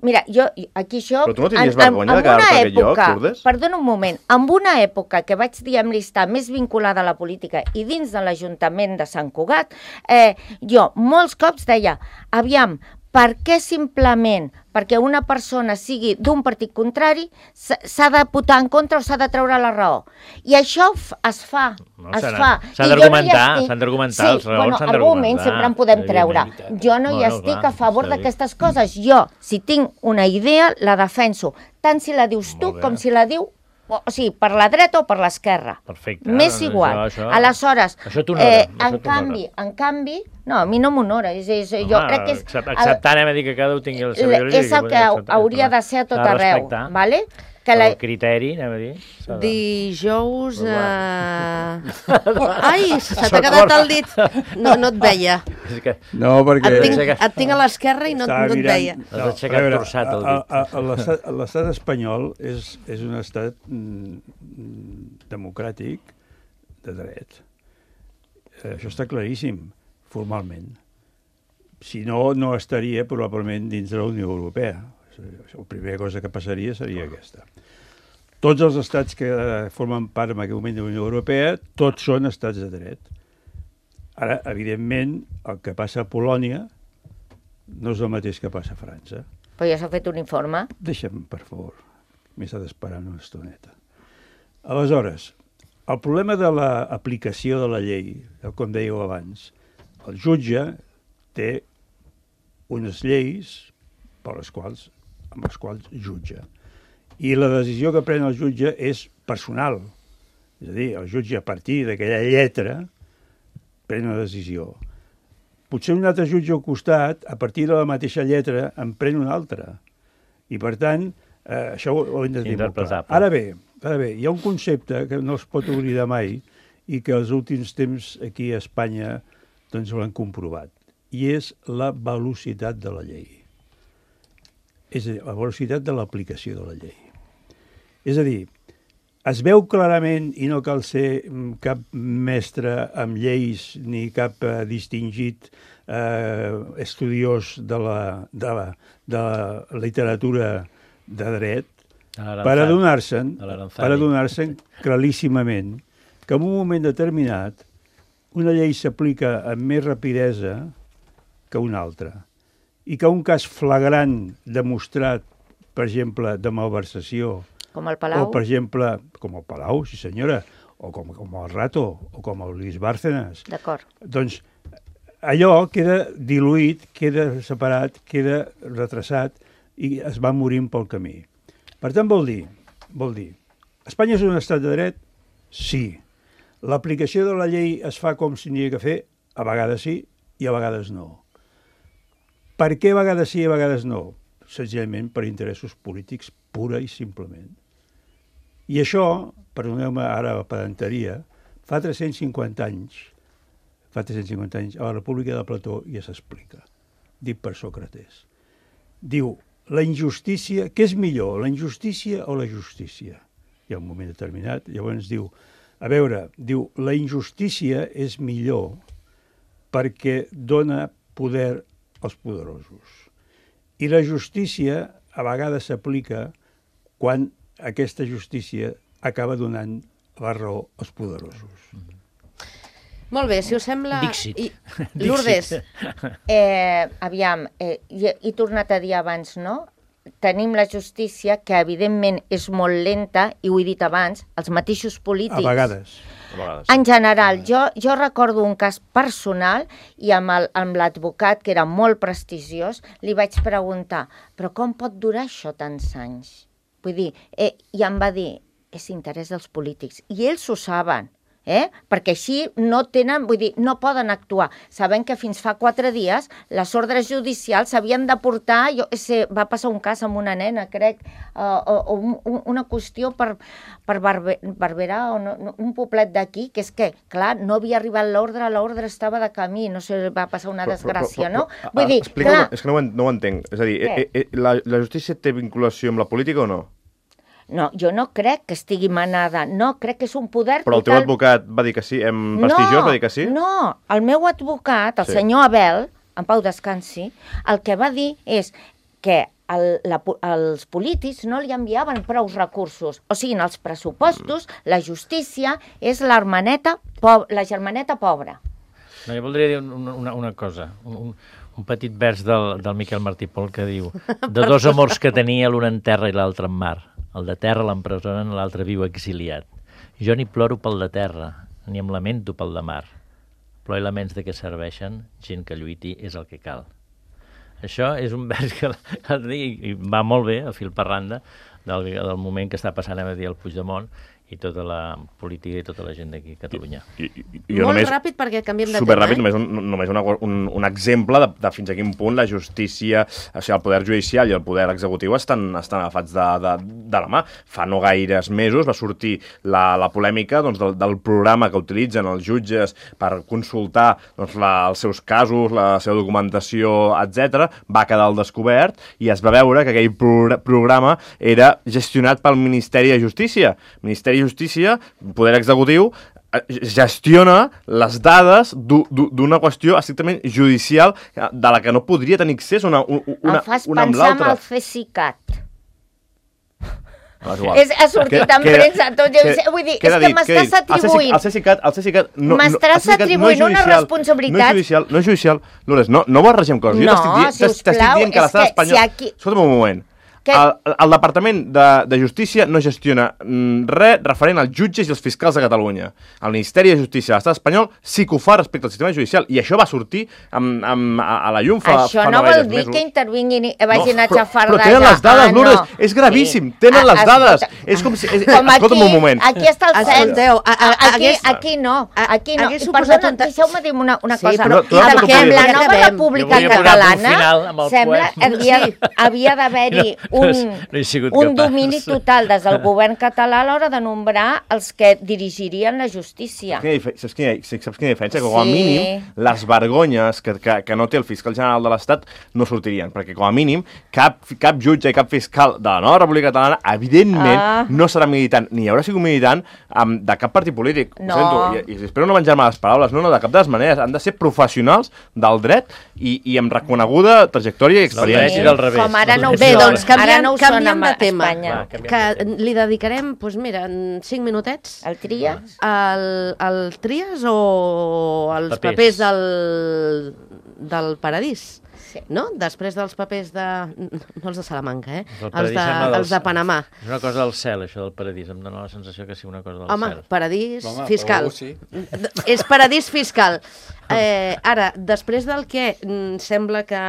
Mira, jo, aquí això... Però tu no tenies vergonya de quedar-te a aquest lloc, Lourdes? Perdona un moment, en una època que vaig, diguem-li, estar més vinculada a la política i dins de l'Ajuntament de Sant Cugat, eh, jo molts cops deia, aviam, per què simplement perquè una persona sigui d'un partit contrari s'ha de votar en contra o s'ha de treure la raó? I això es fa, no, es fa. S'ha d'argumentar, s'han d'argumentar, els raons s'han d'argumentar. Sí, arguments sempre en podem treure. Jo no hi estic a favor d'aquestes coses. Jo, si tinc una idea, la defenso, tant si la dius tu com si la diu o sigui, per la dreta o per l'esquerra. Perfecte. M'és igual. Això, això, Aleshores, això t'honora. Eh, en canvi, en canvi, no, a mi no m'honora. És, és, jo Home, crec que és... Acceptant, hem de dir que cada un tingui la seva ideologia. És el que hauria de ser a tot arreu, vale? Que la... El criteri, anem a dir. Dijous... Uh... Ai, se t'ha quedat el dit. No, no et veia. No, perquè... Et tinc, et tinc a l'esquerra i no, no et veia. Has aixecat torçat el dit. L'estat espanyol és, és un estat mm, democràtic de dret. Això està claríssim, formalment. Si no, no estaria probablement dins de la Unió Europea. La primera cosa que passaria seria aquesta. Tots els estats que formen part en aquest moment de la Unió Europea, tots són estats de dret. Ara, evidentment, el que passa a Polònia no és el mateix que passa a França. Però ja s'ha fet un informe. Deixa'm, per favor. M'he estat esperant una estoneta. Aleshores, el problema de l'aplicació de la llei, com dèieu abans, el jutge té unes lleis per les quals, amb les quals jutja. I la decisió que pren el jutge és personal. És a dir, el jutge, a partir d'aquella lletra, pren una decisió. Potser un altre jutge al costat, a partir de la mateixa lletra, en pren una altra. I, per tant, eh, això ho, ho hem de tenir molt clar. Ara bé, ara bé, hi ha un concepte que no es pot oblidar mai i que els últims temps aquí a Espanya doncs l'han comprovat, i és la velocitat de la llei. És a dir, la velocitat de l'aplicació de la llei. És a dir, es veu clarament, i no cal ser cap mestre amb lleis ni cap eh, distingit eh, estudiós de la, de, la, de la literatura de dret, per adonar-se'n per adonar-se'n claríssimament que en un moment determinat una llei s'aplica amb més rapidesa que una altra, i que un cas flagrant demostrat, per exemple, de malversació, com el Palau, o per exemple, com el Palau, sí senyora, o com, com el Rato, o com el Luis Bárcenas, d'acord, doncs allò queda diluït, queda separat, queda retrasat i es va morint pel camí. Per tant, vol dir, vol dir, Espanya és un estat de dret? Sí. L'aplicació de la llei es fa com s'hi havia que fer? A vegades sí i a vegades no. Per què a vegades sí i a vegades no? Senzillament per interessos polítics, pura i simplement. I això, perdoneu-me ara la pedanteria, fa tres-cents cinquanta anys, fa tres-cents cinquanta anys, a la República de Plató ja s'explica, dit per Sòcrates. Diu, la injustícia, què és millor, la injustícia o la justícia? Hi ha un moment determinat, llavors diu, a veure, diu, la injustícia és millor perquè dona poder als poderosos. I la justícia a vegades s'aplica quan aquesta justícia acaba donant la raó als poderosos. Molt bé, si us sembla... Dixit. I... Lourdes. Eh, aviam, eh, he tornat a dir abans, no? Tenim la justícia, que evidentment és molt lenta, i ho he dit abans, els mateixos polítics... A vegades. A vegades. En general, jo, jo recordo un cas personal, i amb el- amb l'advocat, que era molt prestigiós, li vaig preguntar, però com pot durar això tants anys? Vull dir, eh, i em va dir, és interès dels polítics, i ells ho saben. Eh? Perquè així no tenen, vull dir, no poden actuar. Saben que fins fa quatre dies les ordres judicials s'havien de portar, jo sé, va passar un cas amb una nena, crec, uh, o, o un, una qüestió per, per Barbe, Barberà, o no, no, un poblet d'aquí, que és que, clar, no havia arribat l'ordre, l'ordre estava de camí, no sé, va passar una desgràcia, no? Vull dir, clar... És que no ho, en, no ho entenc. És a dir, eh, eh, la, la justícia té vinculació amb la política o no? No, jo no crec que estigui manada, no, crec que és un poder... Però el teu advocat va dir que sí, en prestigiós no, va dir que sí? No, el meu advocat, el Sí. senyor Abel, en pau descansi, el que va dir és que el, la, els polítics no li enviaven prou recursos. O sigui, en els pressupostos, la justícia és l'hermaneta po la germaneta pobra. No, jo voldria dir una, una, una cosa, un, un petit vers del, del Miquel Martí Pol que diu de dos amors que tenia, l'un en terra i l'altre en mar. El de terra l'empresonen, l'altre viu exiliat. Jo ni ploro pel de terra, ni em lamento pel de mar. Plor i laments de què serveixen, gent que lluiti és el que cal. Això és un vers que i va molt bé, a fil per randa, del, del moment que està passant a dir el Puigdemont i tota la política i tota la gent d'aquí a Catalunya. I, i, i jo Molt només, ràpid perquè canviem de superràpid, tema. Eh? només, un, només una, un, un exemple de, de fins a quin punt la justícia, o sigui, el poder judicial i el poder executiu estan, estan agafats de, de, de la mà. Fa no gaires mesos va sortir la, la polèmica doncs, del, del programa que utilitzen els jutges per consultar doncs, la, els seus casos, la seva documentació, etcètera. Va quedar al descobert i es va veure que aquell pro programa era gestionat pel Ministeri de Justícia. Ministeri de Justícia, poder executiu, gestiona les dades d'una qüestió estrictament judicial de la que no podria tenir accés una, una, una, em fas una amb pensar en l'altra. el CESICAT. Ah, és igual. És, ha sortit en premsa, tot, que- vull dir, queda és que dit, m'estàs queda dit. atribuint... El CESICAT, el CESICAT no, M'estàs no, el CESICAT atribuint no és una judicial, responsabilitat- No és judicial, no és judicial. Lourdes, no, no barregem coses. Jo No, t'estic dient, sisplau, t'estic dient que és l'estat que espanyol... si aquí- Escolta'm un moment. Que... El, el Departament de, de Justícia no gestiona mm, res referent als jutges i els fiscals de Catalunya. El Ministeri de Justícia de l'Estat espanyol sí que ho fa respecte al sistema judicial, i això va sortir amb, amb, a, a la llum fa, això fa no no vol gaires dir mesos. que intervinguin i vagin no, a xafardejar. Però tenen les dades, ah, Lourdes, no. és gravíssim, Sí. tenen A, les dades. Escolta, És com si... És, com escolta'm aquí, un moment. Aquí està el cens. Escolteu, a, a, Aquí, hagués, aquí no, aquí no. hagués I suposat perdona, un ta- deixeu-me dir una, una Sí, cosa. però tu has Amb de que amb la ja nova acabem. República Jo volia posar un Catalana final amb el sembla poema. havia, havia d'haver-hi No, un, no he sigut un capaç. domini total des del govern català a l'hora de nombrar els que dirigirien la justícia. Saps quina, saps quina diferència? Que com a Sí. mínim les vergonyes que, que, que no té el fiscal general de l'Estat no sortirien, perquè com a mínim cap, cap jutge i cap fiscal de la nova República Catalana evidentment Ah. no serà militant, ni haurà sigut militant um, de cap partit polític. Ho No. sento, i, i espero no menjar-me les paraules, no, no, de cap de les maneres. Han de ser professionals del dret i, i amb reconeguda trajectòria i Del dret experiència. i del revés. Com ara no ho Bé, són. doncs Ara canviem, no ho són canviem a de tema, Espanya. Va, canviem que de tema. li dedicarem, doncs mira, en cinc minutets El tries? al, al Tries o als Papers. papers, del, del Paradís. Sí. No? Després dels papers de... No els de Salamanca, eh? El Els paradís de, sembla dels- els de Panamà. És una cosa del cel, això del paradís. Em dóna la sensació que sigui una cosa del Home, cel. paradís Home, fiscal. oh, sí. És paradís fiscal. Eh, ara, després del que mm, sembla que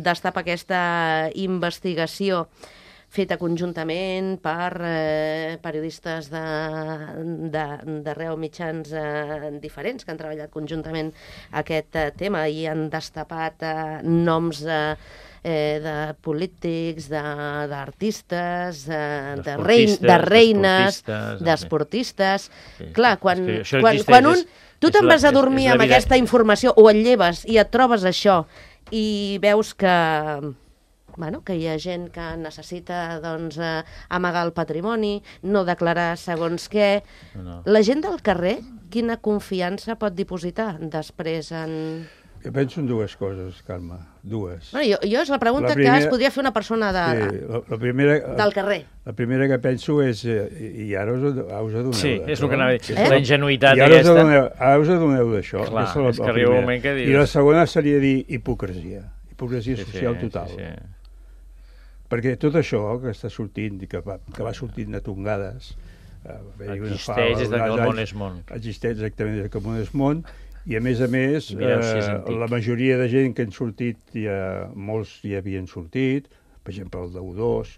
destapa aquesta investigació feta conjuntament per eh, periodistes d'arreu mitjans eh, diferents que han treballat conjuntament aquest eh, tema i han destapat eh, noms eh, eh, de polítics, de- d'artistes, de, de, rein, D'esportistes, de reines, d'esportistes, d'esportistes... Sí. Clar, quan, És que això quan, existeix, quan un... és- Tu és te'n la- vas a és- dormir és amb l'evident- aquesta informació o et lleves i et trobes això i veus que, bueno, que hi ha gent que necessita doncs, eh, amagar el patrimoni, no declarar segons què. No. La gent del carrer, quina confiança pot dipositar després en... Jo penso en dues coses, Carme, dues. Bueno, jo, jo és la pregunta La primera- que es podria fer una persona de, Sí, la, la primera, del carrer. La primera que penso és, eh, i ara us, us adoneu Sí, d'això. és el que anava a dir. Eh? La ingenuïtat I ara us aquesta... adoneu, ara us adoneu d'això. Clar, Aquesta la- és que la arriba un primera. moment que dius- I la segona seria dir hipocresia. Hipocresia social total. Sí, sí. Perquè tot això que està sortint i que va, que va sortint de tongades... Eh, va haver-hi una fa Existeix des de que el uns món anys, és món. Existeix exactament des que el món és món, i a més a més, I mireu si és eh, antic. la majoria de gent que han sortit, ja, molts ja havien sortit, per exemple el d'U dos,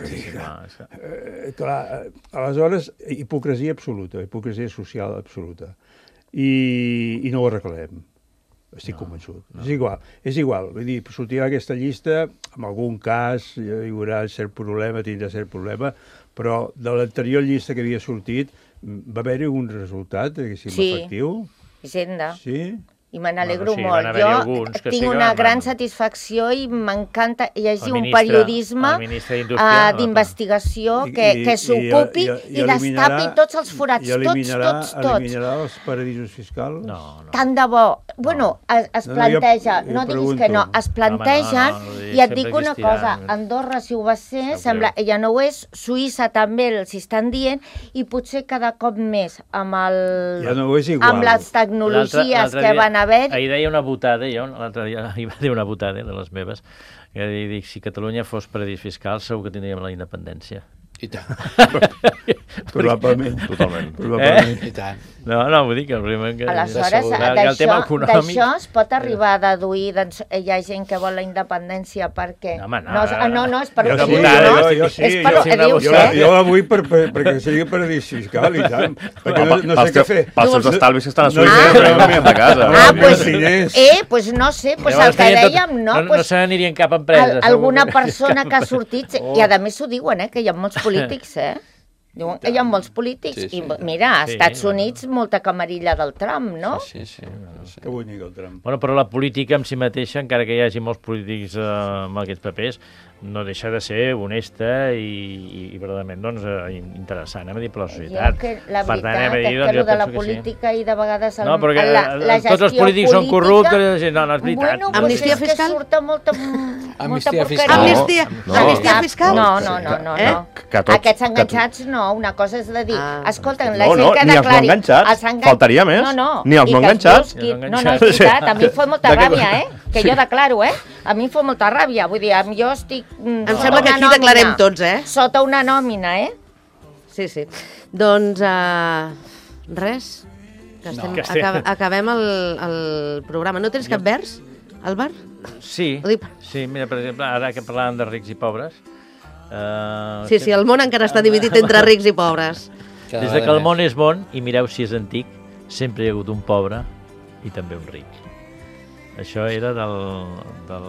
Sí, sí, clar, és que... Eh, clar, eh, aleshores, hipocresia absoluta, hipocresia social absoluta. I, i no ho arreglem. Estic no, convençut. No. És igual, és igual. Vull dir, sortirà aquesta llista, en algun cas hi haurà cert problema, tindrà cert problema, però de l'anterior llista que havia sortit va haver-hi un resultat, diguéssim, Sí. efectiu? Hisenda. Sí? I me n'alegro Bueno, sí, van molt. haver-hi Jo alguns que tinc sí que una van- gran satisfacció i m'encanta llegir El un ministre- periodisme el ministre d'Indústria, uh, no, d'investigació I- que, i- que i- s'ocupi i- i, i eliminarà- destapi tots els forats, i tots, eliminarà, tots, tots. eliminarà els paradisos fiscals? No, no. Tant de bo. Bueno, es, es No, no, planteja, jo- jo no diguis que pregunto. no, es plantegen, Home, no, no, i et sempre dic una existiran. cosa, Andorra, si ho va ser, Sap sembla, greu. ja no ho és, Suïssa també els estan dient, i potser cada cop més amb, el, Ja no és igual. amb les tecnologies L'altre- l'altre que dia- van haver. Ahir deia una botada, jo l'altre dia hi va dir una botada de les meves, que dic, si Catalunya fos paradís fiscal segur que tindríem la independència. I tant, Probablement. Totalment. Probablement. i tant. No, no, vull dir que el primer que... Aleshores, que el tema d'això econòmic... d'això es pot arribar a deduir, doncs hi ha gent que vol la independència perquè... No, home, no, no, és- no, no, és per Jo ho sí, diu, votada, no? jo, jo sí, és per jo, ho sí, dius, jo, eh? jo la vull per, per, perquè sigui paradís fiscal i tant, perquè no, no sé què fer. Pels seus estalvis que estan a No, Suïssa, no, no, no, no, de casa. Ah, No, pues, no, diners. eh, pues no sé, pues el Llavors que tenien tot- dèiem, no, no, no pues, se n'anirien cap empresa. al, segur alguna que- persona que ha sortit, Oh. i a més ho diuen, eh, que hi ha molts polítics, eh? Diuen que hi ha molts polítics, Sí, sí. i mira, a Sí, Estats bueno. Units molta camarilla del Trump, no? Sí, sí. sí. Que bonic el tram. Bueno, però la política en si mateixa, encara que hi hagi molts polítics eh, amb aquests papers, no deixa de ser honesta i, i, i verdaderament doncs, eh, interessant, anem a dir, per la societat. Jo que la Per tant, veritat anem a dir, és que doncs, allò jo de la penso que sí. política i de vegades el, No, perquè la, la eh, tots els gestió polítics són política- corruptes, i no, no és veritat. Bueno, pues Amnistia és fiscal? que surta molta, molta Amnistia porqueria. fiscal. Amnistia, No, amnistia No, fiscal? No, no, no, no. Eh? no. Que tot- Aquests que enganxats no, una cosa és de dir, Ah. escolta, la No, gent no, que ni els no declari... enganxats, els engan- faltaria més. No, no, Ni els i no que es enganxats. busqui- Ni els No, no, és enganxats. veritat, a mi em fa molta De què- ràbia, eh? que jo declaro, eh? A mi em fa molta ràbia, vull dir, jo estic... Em sembla que aquí declarem tots, eh? Sota una nòmina, eh? Sí, sí. Doncs, uh, res, que estem, No. Que estem- acab acabem el, el programa. No tens cap vers, Álvar? Sí, Ho dic- sí, mira, per exemple, ara que parlàvem de rics i pobres... Uh, Sí, sí, el món encara està dividit entre rics i pobres. Cada Des de que vegada el món més. és bon, i mireu si és antic, sempre hi ha hagut un pobre i també un ric. Això era del... del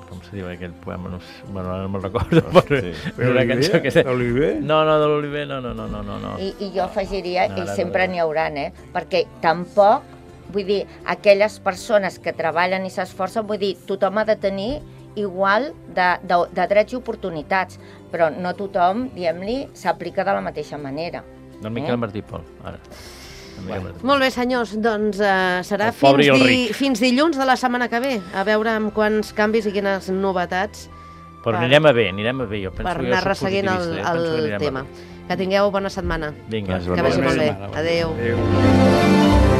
com se diu aquell poema? No, sé, bueno, ara no me'n recordo. Però Sí. era una cançó que... L'Oliver? No, no, de l'Oliver, no, no, no, no, no. no. I, i jo afegiria, No, i no, no, sempre no. n'hi hauran, eh? Perquè tampoc, vull dir, aquelles persones que treballen i s'esforcen, vull dir, tothom ha de tenir igual de, de, de drets i oportunitats, però no tothom, diguem-li, s'aplica de la mateixa manera. Del Miquel Martí Pol, ara. El Miquel Martí. Molt bé, senyors, doncs uh, serà El pobre fins, i el di ric. fins dilluns de la setmana que ve, a veure amb quants canvis i quines novetats Però per- anirem a bé, anirem a bé. Jo penso per que jo anar soc resseguint el, positivista, jo penso que el anirem a tema. bé. Que tingueu bona setmana. Vinga. Gràcies, Que vagi Bona molt bé. setmana, bona Adéu. Adéu.